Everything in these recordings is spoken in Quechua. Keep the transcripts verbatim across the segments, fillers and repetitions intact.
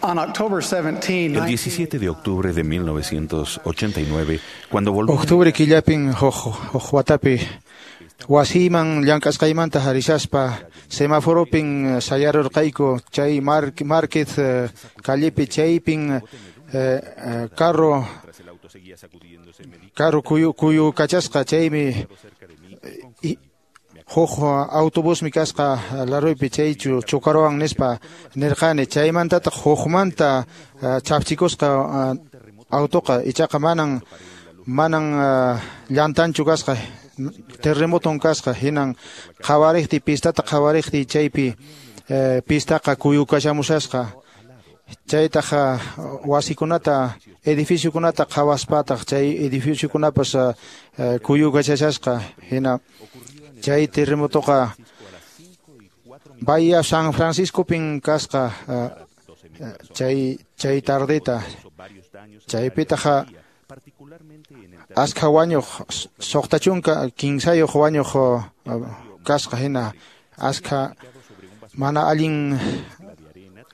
On October seventeenth, El diecisiete de octubre de mil novecientos ochenta y nueve, cuando volví... Octubre killapin huk huk watapi wasiman llank'asqaymanta harishaspa semaforopin sayarurqayku chay market callepi chaypin eh, eh, carro carro kuyu kuyu kachasqa chaymi huk autobusmi kasqa laruypi chaychu chocaruwan nispa nirqani chaymantataq hukmanta chapchikusqa autoqa ichaqa manan manan llantanchu kasqa terremoton kasqa hinan qhawariqti pistata qhawariqti chaypi pistaqa kuyukashamushasqa chaytaq wasikunata edificiokunata qhawaspataq chay edificiokunapas kuyukashashasqa hina chay terremotoqa Bahía San Franciscopin kasqa chay chay tardeta chaypitaqa askha wañuq suqta chunka kinsayuq wañuq kasqa hina askha mana allin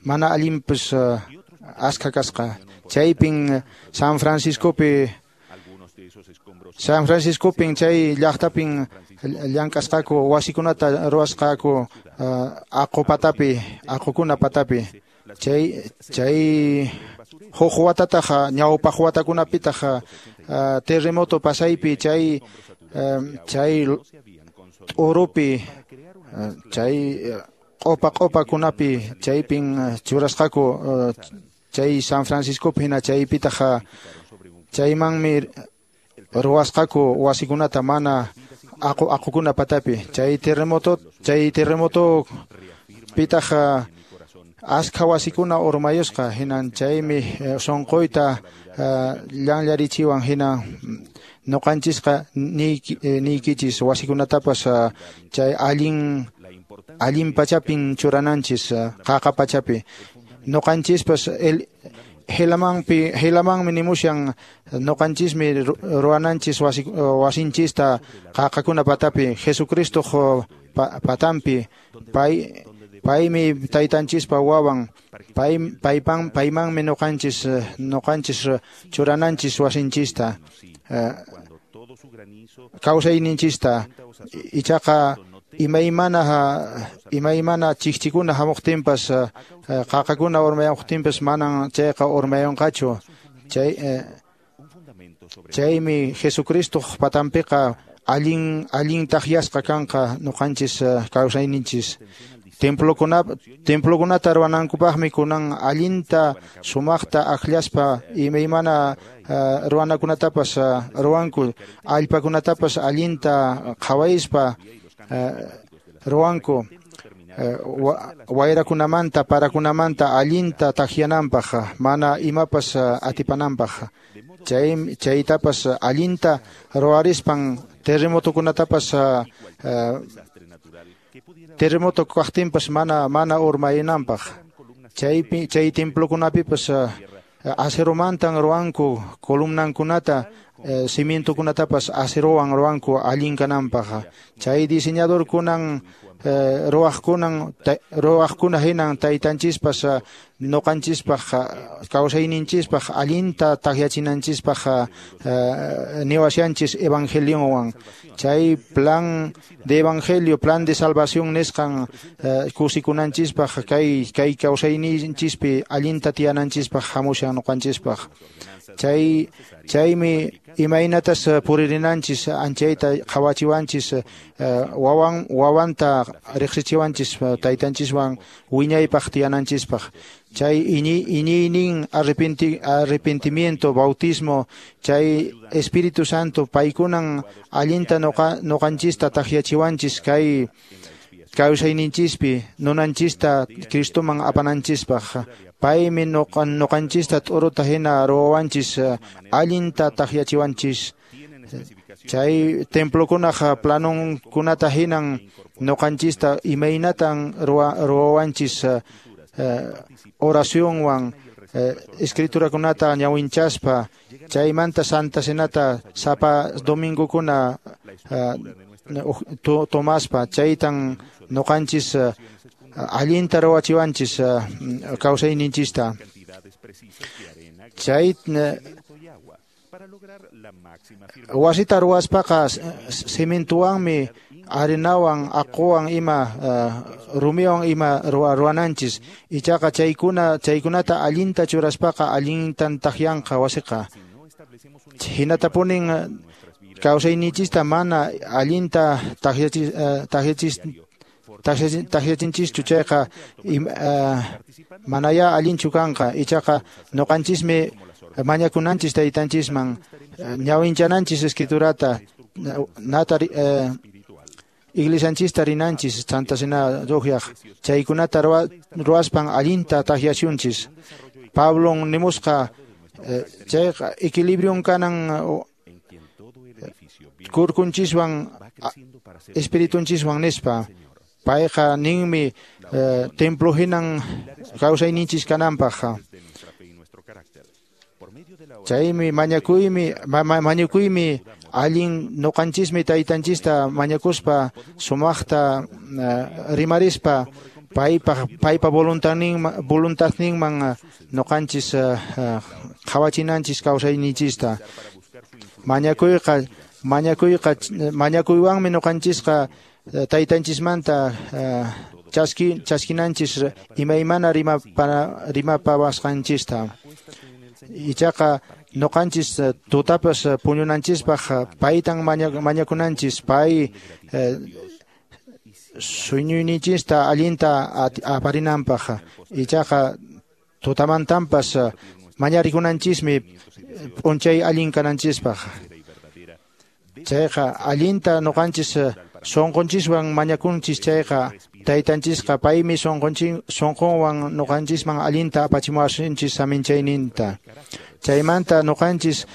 mana allinpas askha kasqa chaypin San Franciscopi San Franciscopin chay llaqtapin llank'asqaku wasikunata ruwasqaku aqu patapi aqukuna patapi chay chay huk watataq ñawpaq watakunapitaq terremoto pasaypi chay chay t'urupi chay q'upa q'upakunapi chaypin churasqaku chay San Franciscopi hina chaypitaq chaymanmi ruwasqaku wasikunata mana aqu aqukuna patapi chay terremoto chay terremoto pitaq askha wasikuna urmayusqa hinan chaymi sunquyta llanllarichiwan hina nuqanchisqa niykichis wasikunatapas chay allin allin pachapin churananchis qaqa pachapi nuqanchispas el Helamanpi Helamanmi nimushan nuqanchismi ruwananchis wasi wasinchista qaqakuna patapi Jesucristo patampi pay paymi taytanchispa wawan pay paypan paymanmi nuqanchis nuqanchis churananchis wasinchista kawsayninchista ichaqa imaymana imaymana chikchikuna hamuqtinpas qaqakuna urmayamuqtinpas manan chayqa urmayunqachu chay chaymi Jesucristo patanpiqa allin allin taqyasqa kanqa nuqanchis kawsayninchis templokuna templokunata ruwanankupaqmi kunan allinta sumaqta akllaspa imaymana ruwanakunatapas ruwanku allpakunatapas allinta qhawayspa ruwanku wayrakunamanta parakunamanta allinta taqyananpaq mana imapas atipananpaq chay chaytapas allinta ruwarispan terremotokunatapas terremoto kaqtinpas mana mana urmayinanpaq chaypi chay templokunapipas aceromantan ruwanku columnankunata cimientokunatapas acerowan ruwanku allin kananpaq chay diseñadorkunan ruwaqkunan ruwaqkuna hinan taytanchispas nuqanchispaq kawsayninchispaq allinta taqyachinanchispaq niwashanchis evangelionwan chay plan de evangelio plan de salvación nisqan kusikunanchispaq kay kay kawsayninchispi allinta tiyananchispaq hamushan nuqanchispaq chay chaymi imaynatas puririnanchis anchayta qhawachiwanchis wawan wawanta riqsichiwanchis taytanchiswan wiñaypaq tiyananchispaq chay iñi iñiynin arrepenti arrepentimiento bautismo chay Espíritu Santo paykunan allinta nuqa nuqanchista taqyachiwanchis kay kawsayninchispi nunanchista Cristoman apananchispaq paymi nuqanchista t'uruta hina ruwawanchis allinta taqyachiwanchis chay templokunaq planonkunata hinan nuqanchista imaynatan ruwawanchis oracionwan escriturakunata ñawinchaspa chaymanta Santa Cenata sapa domingokuna tomaspa chaytan nuqanchis allinta ruwachiwanchis kawsayninchista. Chay wasita ruwaspaqa cementowanmi arenawan aquwan ima rumiwan ima ruwananchis. Ichaqa chaykuna chaykunata allinta churaspaqa allintan takyanqa wasiqa. Hinatapunin kawsayninchista mana allinta takyachis takyachis takyachinchischu chayqa manaya allinchu kanqa. Ichaqa ñuqanchismi mañakunanchis taytanchisman ñawinchananchis escriturata nata iglesianchista rinanchis Santa Cena ruqyaq chaykunata ruwaspan allinta takyasunchis. Pablon nimusqa chayqa equilibrion kanan kurkunchiswan espiritunchiswan nispa. Payqa ninmi templo hinan kawsayninchis kananpaq. Chaymi mañakuymi mañakuymi allin ñuqanchismi taytanchista mañakuspa sumaqta rimarispa paypa paypa voluntadninman voluntadninman ñuqanchis qhawachinanchis kawsayninchista. Mañakuyqa mañakuyqa mañakuywanmi ñuqanchisqa taytanchismanta chaski chaskinanchis imaymana rimapa rimapawasqanchista. Ichaqa ñuqanchis tutapas puñunanchispaq paytan mañakunanchis pay sueñuyninchista allinta aparinanpaq. Ichaqa tutamantanpas mañarikunanchismi p'unchay allin kananchispaq. Chayqa allinta ñuqanchis sunqunchiswan mañakunchis chayqa taytanchisqa paymi sunqunchin sunqunwan ñuqanchisman allinta apachimuwasunchis saminchayninta. Chaymanta ñuqanchis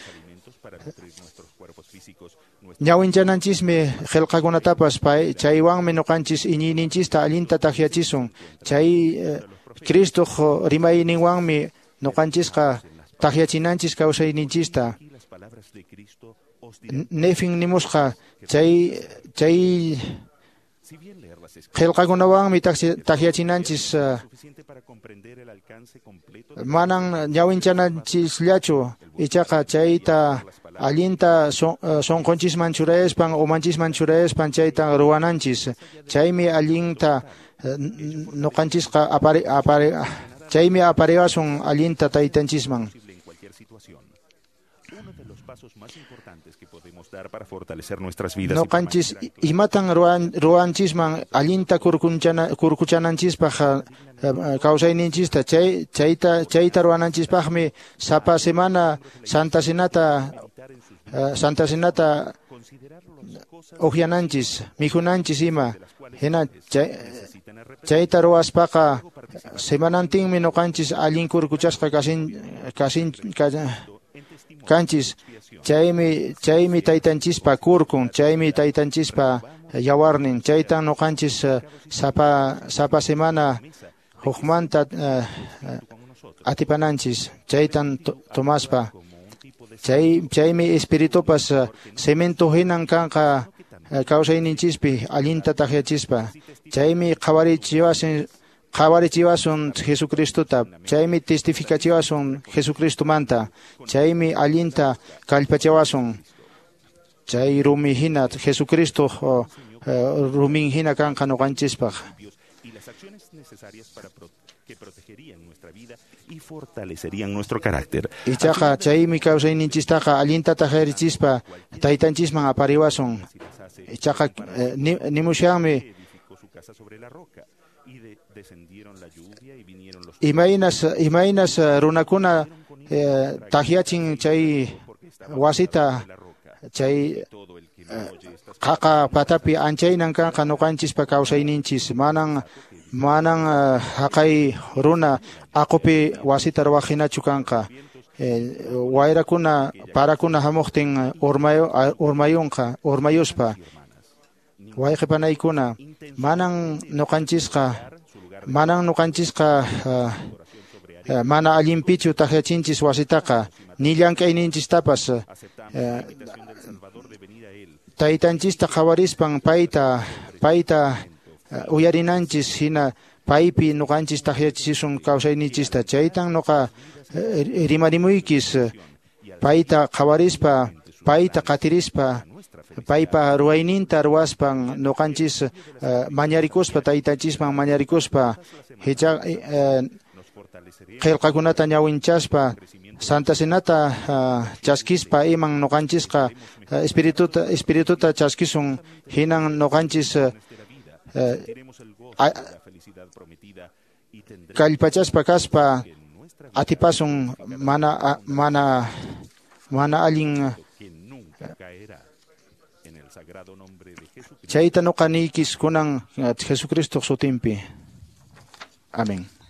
ñawinchananchishmi qillqakunatapas pay chaywanmi ñuqanchis iñiyninchista allinta takyachisun. Chay Cristoq rimayninwanmi ñuqanchisqa takyachinanchis kawsayninchista. Nefin nimusqa chay chay qillqakunawanmi takyachinanchis manan ñawinchananchishllachu ichaqa chayta allinta sunqunchisman churayaspan umanchisman churayaspan chayta ruwananchis. Chaymi allinta ñuqanchisqa apari apari chaymi apariwasun allinta taytanchisman. Ñuqanchis imatan ruwanchisman allinta kurkuchananchispaq kawsayninchista chay chayta chayta ruwananchispaqmi sapa semana Santa Cenata Santa Cenata uqyananchis mikhunanchis ima. Hina chayta ruwaspaqa semanantinmi ñuqanchis allin kurkuchasqa kasin kasin kanchis. Chaymi chaymi taytanchispa kurkun, chaymi taytanchispa yawarnin, chaytan ñuqanchis sapa sapa semana hukmanta atipananchis chaytan tomaspa. Chay chaymi espiritupas cemento hinan kanqa kawsayninchispi allinta takyachispa. Chaymi qhawarichiwasun qhawarichiwasun Jesucristota, chaymi testificachiwasun Jesucristomanta, chaymi allinta kallpachiwasun. Chay rumi hina Jesucristo rumin hina kanqa ñuqanchispaq. Ichaqa chaymi kawsayninchistaqa allinta tajarichispa taytanchisman apariwasun. Ichaqa nimushanmi imaynas imaynas runakuna takyachin chay wasita chay qaqa patapi anchaynan kanqa ñuqanchispa kawsayninchis. Manan manan haqay runa aqupi wasita ruwaq hinachu kanqa. Wayrakuna parakuna hamuqtin urmayu urmayunqa urmayuspa. Wayqi panaykuna manan ñuqanchisqa manan ñuqanchisqa mana allinpichu takyachinchis wasitaqa ni llank'ayninchistapas. Taytanchista qhawarispan payta payta uyarinanchis hina paypi nuqanchis taqyachisun kawsayninchista. Chaytan nuqa rimarimuykish payta qhawarispa, payta qatirispa, paypa ruwayninta ruwaspan nuqanchis mañarikuspa, taytanchisman mañarikuspa, hicha qillqakunata ñawinchaspa, Santa Cenata chaskispa iman nuqanchisqa espirituta espirituta chaskisun, hinan nuqanchis kallpachaspa kaspa atipasun mana mana mana allin. Chayta nuqa niykis kunan Jesucristo sutinpi. Amén.